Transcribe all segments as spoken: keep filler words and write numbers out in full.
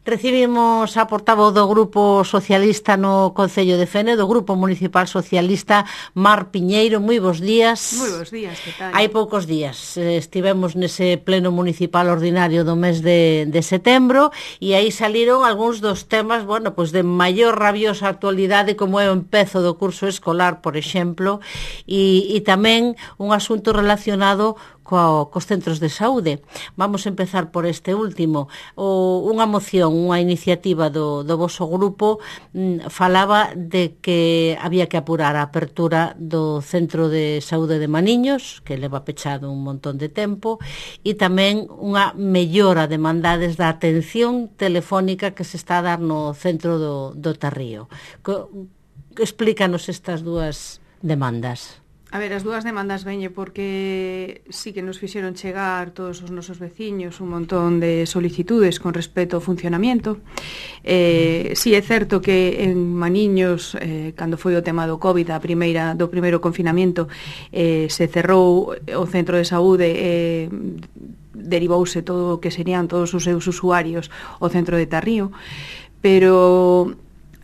Recibimos a portavoz do Grupo Socialista no Concello de Fene, do Grupo Municipal Socialista, Mar Piñeiro. Moi bons días. Moi bons días, que tal? Hai poucos días estivemos nese pleno municipal ordinario do mes de, de setembro e aí saliron algúns dos temas, bueno, pois de maior rabiosa actualidade, como é o empezo do curso escolar, por exemplo, e, e tamén un asunto relacionado co, cos centros de saúde. Vamos a empezar por este último. O, unha moción, unha iniciativa do, do voso grupo mm, falaba de que había que apurar a apertura do Centro de Saúde de Maniños, que leva pechado un montón de tempo, e tamén unha mellora de mandades da atención telefónica que se está a dar no centro do, do Tarrío. Co, explícanos estas dúas demandas. A ver, as dúas demandas veñe porque sí que nos fixeron chegar todos os nosos veciños un montón de solicitudes con respecto ao funcionamiento. Eh, sí é certo que en Maniños, eh, cando foi o tema do COVID, a primeira, do primeiro confinamento, eh, se cerrou o centro de saúde, eh, derivouse todo o que serían todos os seus usuarios ao centro de Tarrío, pero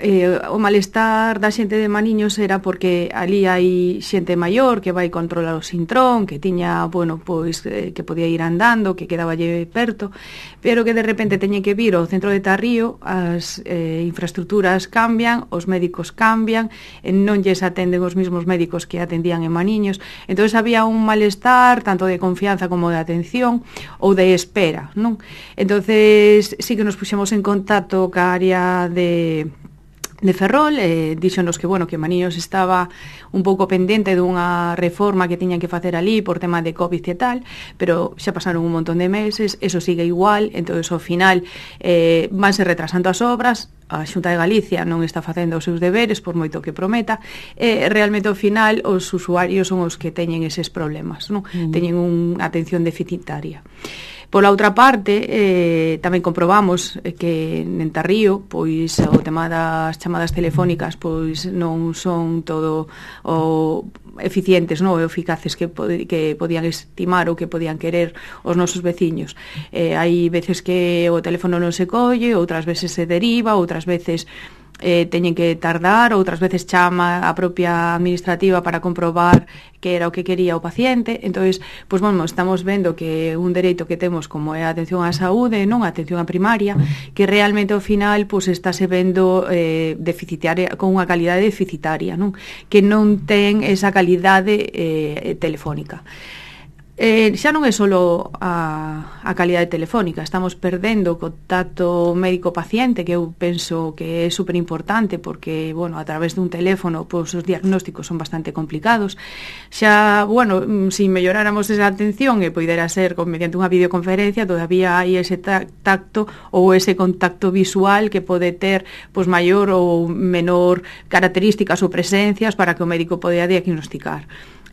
Eh, o malestar da xente de Maniños era porque ali hai xente maior que vai controlar o Sintrón, que tiña, bueno, pois eh, que podía ir andando, que quedaba lle perto, pero que de repente teñen que vir ao centro de Tarrío, as eh, infraestructuras cambian, os médicos cambian, e non lles atenden os mesmos médicos que atendían en Maniños. Entonces había un malestar tanto de confianza como de atención ou de espera, non? Entonces sí que nos puxemos en contacto ca área de de Ferrol, eh, díxonos que, bueno, que Maniños estaba un pouco pendente dunha reforma que tiñan que facer ali por tema de COVID e tal, pero xa pasaron un montón de meses, eso sigue igual, entonces ao final eh, vanse retrasando as obras, a Xunta de Galicia non está facendo os seus deberes por moito que prometa, e realmente ao final os usuarios son os que teñen eses problemas, non? Mm. Teñen unha atención deficitaria. Pola outra parte, eh, tamén comprobamos que en Tarrío, pois o tema das chamadas telefónicas pois non son todo o eficientes, non, o eficaces que, pod que podían estimar ou que podían querer os nosos veciños. Eh, hai veces que o teléfono non se colle, outras veces se deriva, outras veces eh, teñen que tardar, outras veces chama a propia administrativa para comprobar que era o que quería o paciente. Entonces, pois, bueno, estamos vendo que un dereito que temos como é a atención á saúde, non a atención á primaria, que realmente ao final pois estáse vendo eh, deficitaria, con unha calidade deficitaria, non? Que non ten esa calidade eh, telefónica. Eh, xa non é só a, a calidade telefónica, estamos perdendo o contacto médico-paciente, que eu penso que é super importante porque, bueno, a través dun teléfono pois, os diagnósticos son bastante complicados. Xa, bueno, se melloráramos esa atención e poidera ser con, mediante unha videoconferencia, todavía hai ese tacto ou ese contacto visual que pode ter pois, maior ou menor características ou presencias para que o médico poida diagnosticar.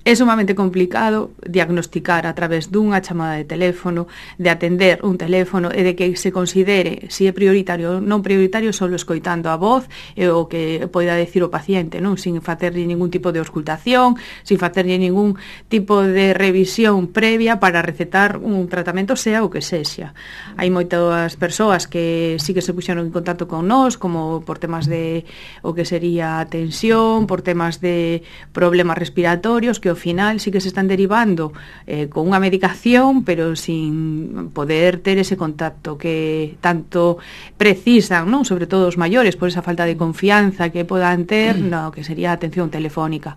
É sumamente complicado diagnosticar a través dunha chamada de teléfono, de atender un teléfono e de que se considere se é prioritario ou non prioritario só escoitando a voz e o que poida decir o paciente, non, sin facerlle ningún tipo de auscultación, sin facerlle ningún tipo de revisión previa para recetar un tratamento sea o que sexa. Hai moitas persoas que sí que se puxeron en contacto con nós, como por temas de o que sería tensión, por temas de problemas respiratorios, que ao final sí que se están derivando eh, con unha medicación, pero sin poder ter ese contacto que tanto precisan, non? Sobre todo os maiores, por esa falta de confianza que podan ter, no, que sería a atención telefónica.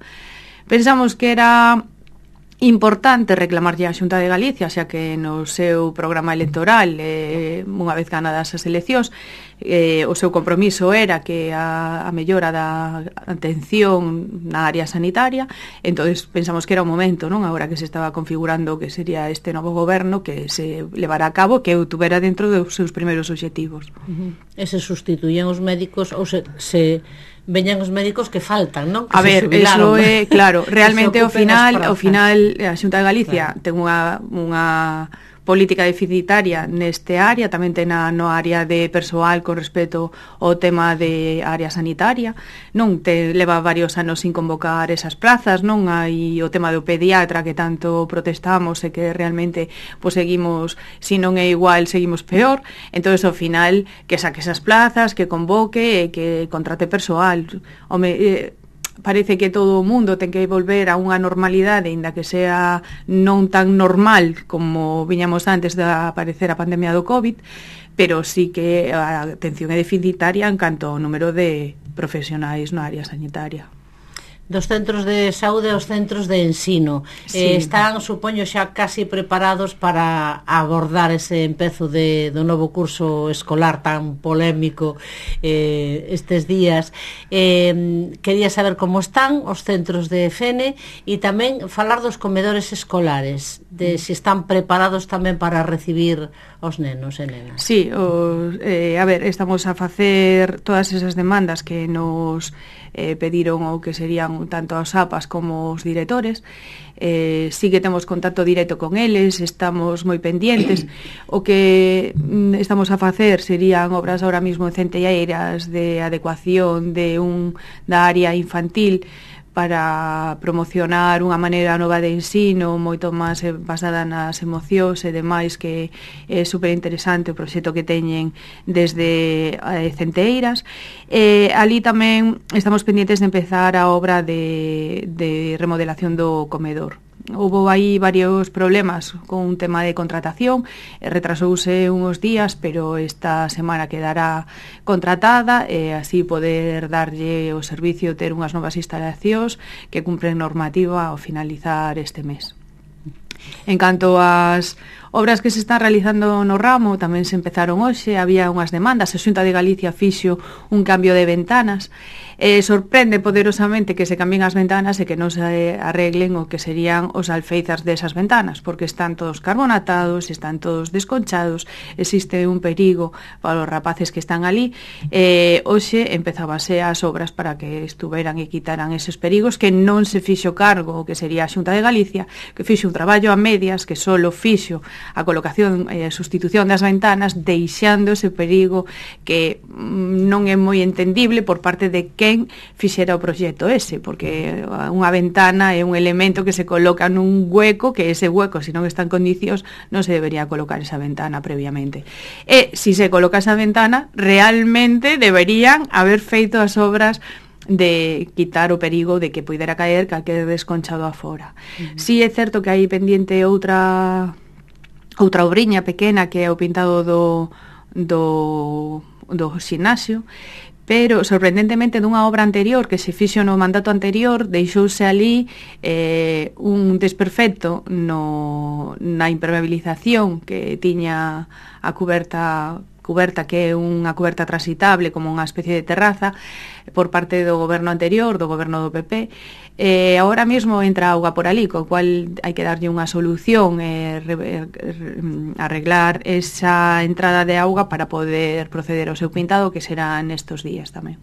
Pensamos que era importante reclamarlle á Xunta de Galicia, xa que no seu programa electoral, eh, unha vez ganadas as eleccións, eh, o seu compromiso era que a, a mellora da atención na área sanitaria. Entonces pensamos que era o momento, non, agora que se estaba configurando que sería este novo goberno, que se levará a cabo, que o tuvera dentro dos seus primeiros obxectivos. Uh-huh. E se sustituían os médicos ou se... se... veñan os médicos que faltan, non? Que a ver, eso é, claro, realmente ao final, ao final a Xunta de Galicia claro. ten unha, unha política deficitaria neste área, tamén ten a, no área de persoal con respecto ao tema de área sanitaria, non te leva varios anos sin convocar esas plazas, non hai o tema do pediatra que tanto protestamos e que realmente pues, seguimos, se non é igual, seguimos peor. Entonces ao final que saque esas plazas, que convoque e que contrate persoal. Home, eh, parece que todo o mundo ten que volver a unha normalidade, ainda que sea non tan normal como viñamos antes de aparecer a pandemia do COVID, pero sí que a atención é deficitaria en canto ao número de profesionais na área sanitaria. Dos centros de saúde aos centros de ensino. Sí. Eh, están, supoño, xa casi preparados para abordar ese empezo de, do novo curso escolar tan polémico eh, estes días. Eh, quería saber como están os centros de F N e tamén falar dos comedores escolares, de se si están preparados tamén para recibir os nenos e nenas. Sí, os, eh, a ver, estamos a facer todas esas demandas que nos eh, pediron ou que serían tanto as A P As como os directores. Eh, sí que temos contacto directo con eles, estamos moi pendientes. O que mm, estamos a facer serían obras ahora mismo centelleiras de adecuación de un da área infantil para promocionar unha maneira nova de ensino moito máis basada nas emocións e demais, que é super interesante o proxecto que teñen desde eh, Centeiras. Eh, ali tamén estamos pendientes de empezar a obra de, de remodelación do comedor. Houve aí varios problemas con un tema de contratación, retrasouse uns días, pero esta semana quedará contratada e así poder darlle o servicio, ter unhas novas instalacións que cumpren normativa ao finalizar este mes. En canto ás obras que se están realizando no ramo, tamén se empezaron hoxe, había unhas demandas, a Xunta de Galicia fixo un cambio de ventanas. Eh, sorprende poderosamente que se cambien as ventanas e que non se arreglen o que serían os alféizas desas ventanas, porque están todos carbonatados, están todos desconchados, existe un perigo para os rapaces que están ali. Eh, hoxe empezábase as obras para que estuveran e quitaran eses perigos, que non se fixo cargo o que sería a Xunta de Galicia, que fixo un traballo a medias, que solo fixo a colocación e a sustitución das ventanas, deixando ese perigo que mm, non é moi entendible por parte de quen fixera o proxecto ese, porque unha ventana é un elemento que se coloca nun hueco, que ese hueco, se non está en condicións, non se debería colocar esa ventana previamente. E se se coloca esa ventana, realmente deberían haber feito as obras de quitar o perigo de que poidera caer calquer desconchado afora. Uh-huh. Si é certo que hai pendiente outra outra obriña pequena, que é o pintado do do do xinasio, pero sorprendentemente dunha obra anterior que se fixo no mandato anterior, deixouse ali eh, un desperfecto no, na impermeabilización que tiña a cuberta cuberta que é unha cuberta transitable como unha especie de terraza por parte do goberno anterior, do goberno do P P. Eh, agora mesmo entra auga por ali, co cual hai que darlle unha solución e eh, arreglar esa entrada de auga para poder proceder ao seu pintado, que será nestos días tamén.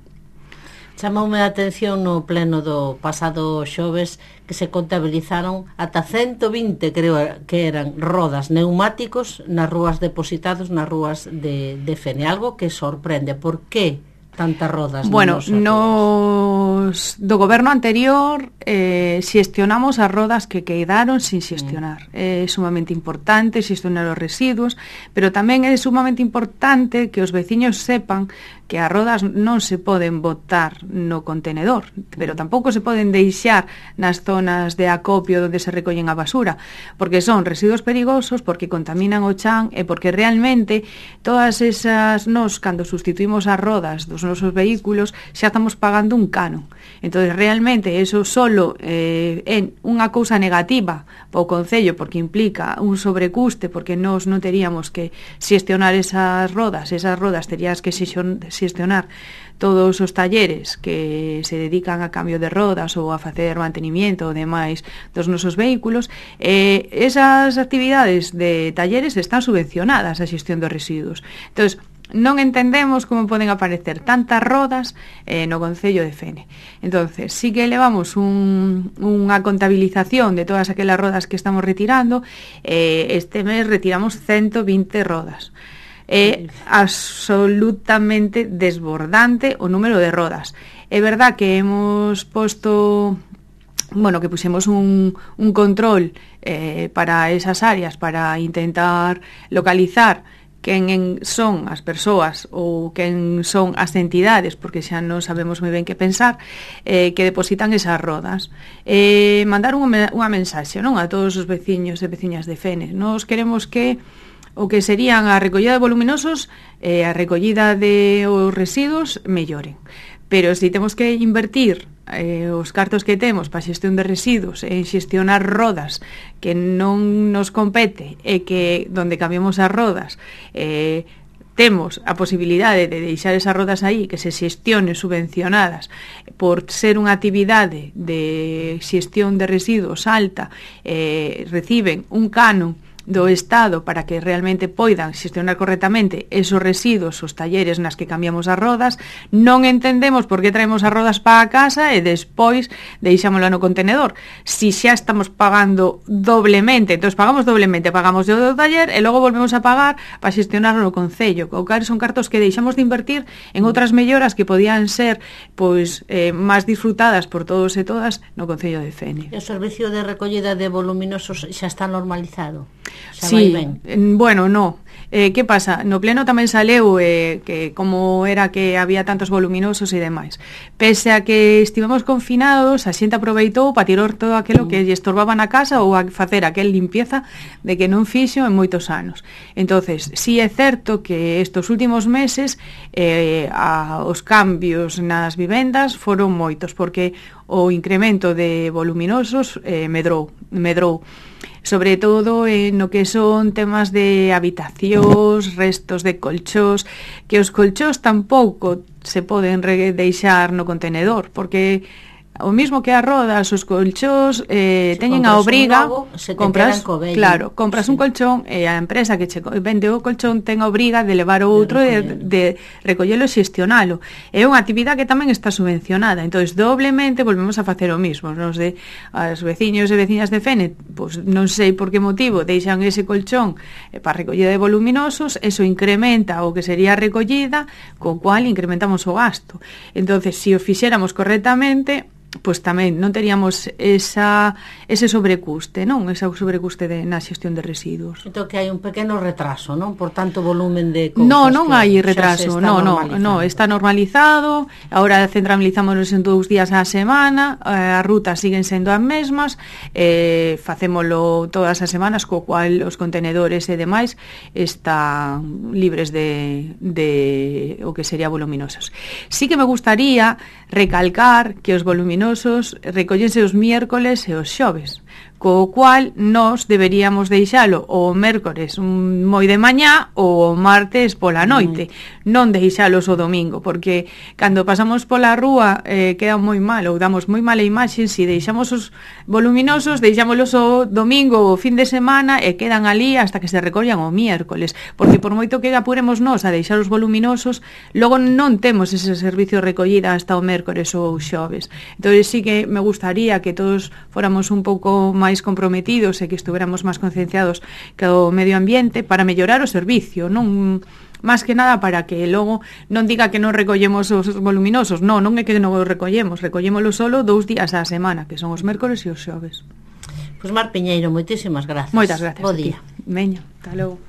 Chamoume a atención no pleno do pasado xoves que se contabilizaron ata ciento vinte, creo que eran, rodas neumáticos nas rúas depositados nas rúas de, de Fene. Algo que sorprende. Por que tantas rodas? Bueno, nos do goberno anterior eh, xestionamos as rodas que quedaron sin xestionar. Mm. É sumamente importante xestionar os residuos, pero tamén é sumamente importante que os veciños sepan que as rodas non se poden botar no contenedor, pero tampouco se poden deixar nas zonas de acopio onde se recollen a basura, porque son residuos perigosos, porque contaminan o chan e porque realmente todas esas, nos, cando sustituimos as rodas dos nosos vehículos, xa estamos pagando un canon. Entón, realmente, eso solo eh, é unha cousa negativa para o Concello, porque implica un sobrecuste, porque nós non teríamos que xestionar esas rodas, esas rodas terías que xestionar todos os talleres que se dedican a cambio de rodas ou a facer mantenimiento ou demais dos nosos vehículos. Eh, esas actividades de talleres están subvencionadas a xestión dos residuos. Entón, non entendemos como poden aparecer tantas rodas eh, no Concello de Fene. Entonces, sí que levamos un, unha contabilización de todas aquelas rodas que estamos retirando. Eh, este mes retiramos ciento vinte rodas. É absolutamente desbordante o número de rodas. É verdad que hemos posto... bueno, que puxemos un, un control eh, para esas áreas para intentar localizar quen en son as persoas ou quen son as entidades, porque xa non sabemos moi ben que pensar, eh, que depositan esas rodas. Eh, mandar unha, unha mensaxe, non, a todos os veciños e veciñas de Fene. Nos queremos que o que serían a recollida de voluminosos e eh, a recollida de os residuos melloren. Pero se temos que invertir eh, os cartos que temos para xestión de residuos en xestionar rodas que non nos compete e que donde cambiamos as rodas eh, temos a posibilidade de deixar esas rodas aí que se xestionen subvencionadas por ser unha actividade de xestión de residuos alta, eh, reciben un canon do Estado para que realmente poidan xestionar correctamente esos residuos, os talleres nas que cambiamos as rodas. Non entendemos por que traemos as rodas para a casa e despois deixámola no contenedor. Si xa estamos pagando doblemente, entón pagamos doblemente, pagamos o do taller e logo volvemos a pagar para xestionarlo no Concello. O que son cartos que deixamos de invertir en outras melloras que podían ser pois eh, máis disfrutadas por todos e todas no Concello de Fene. E o servicio de recollida de voluminosos xa está normalizado? Xa sí, bueno, no. Eh, que pasa? No pleno tamén saleu eh, que como era que había tantos voluminosos e demais. Pese a que estivemos confinados, a xente aproveitou para tirar todo aquilo que lle estorbaba na casa ou a facer aquel limpieza de que non fixo en moitos anos. Entonces, sí é certo que estos últimos meses eh, a, os cambios nas vivendas foron moitos, porque o incremento de voluminosos eh, medrou, medrou. Sobre todo eh, no que son temas de habitacións, restos de colchós, que os colchós tampouco se poden deixar no contenedor, porque o mismo que as rodas, os colchós eh, teñen a obriga, novo, se compras, claro, compras sí. un colchón e a empresa que che vende o colchón ten a obriga de levar o outro de, de, de recollelo e xestionalo. É unha actividade que tamén está subvencionada, entonces doblemente volvemos a facer o mismo. Nos de as veciños e veciñas de Fene, pues, non sei por que motivo deixan ese colchón eh, para recollida de voluminosos, eso incrementa o que sería a recollida, co cual incrementamos o gasto. Entonces, se si o fixéramos correctamente, pois tamén non teríamos esa, ese sobrecuste, non? Ese sobrecuste de, na xestión de residuos. Entón que hai un pequeno retraso, non? Por tanto volumen de cousas. No, non hai retraso, no, no, no, está normalizado. Agora centralizámonos en dous días á semana, as rutas siguen sendo as mesmas, eh, facémolo todas as semanas, co cual os contenedores e demais están libres de, de o que sería voluminosos. Sí que me gustaría recalcar que os voluminosos recóllense os miércoles e os xoves, co cual nos deberíamos deixalo o mércores un moi de mañá ou o martes pola noite, mm. non deixalos o domingo, porque cando pasamos pola rúa eh, queda moi mal ou damos moi mala imaxe se si deixamos os voluminosos, deixámolos o domingo ou o fin de semana e quedan ali hasta que se recollan o miércoles, porque por moito que apuremos nós a deixar os voluminosos, logo non temos ese servicio de recollida hasta o mércores ou xoves. Entón sí que me gustaría que todos fóramos un pouco máis máis comprometidos e que estuveramos máis concienciados co medio ambiente para mellorar o servicio, non máis que nada para que logo non diga que non recollemos os voluminosos, non, non é que non os recollemos, recollémolo solo dous días á semana, que son os mércores e os xoves. Pois Mar Piñeiro, moitísimas grazas. Moitas grazas. Bo día. Veña, hasta logo.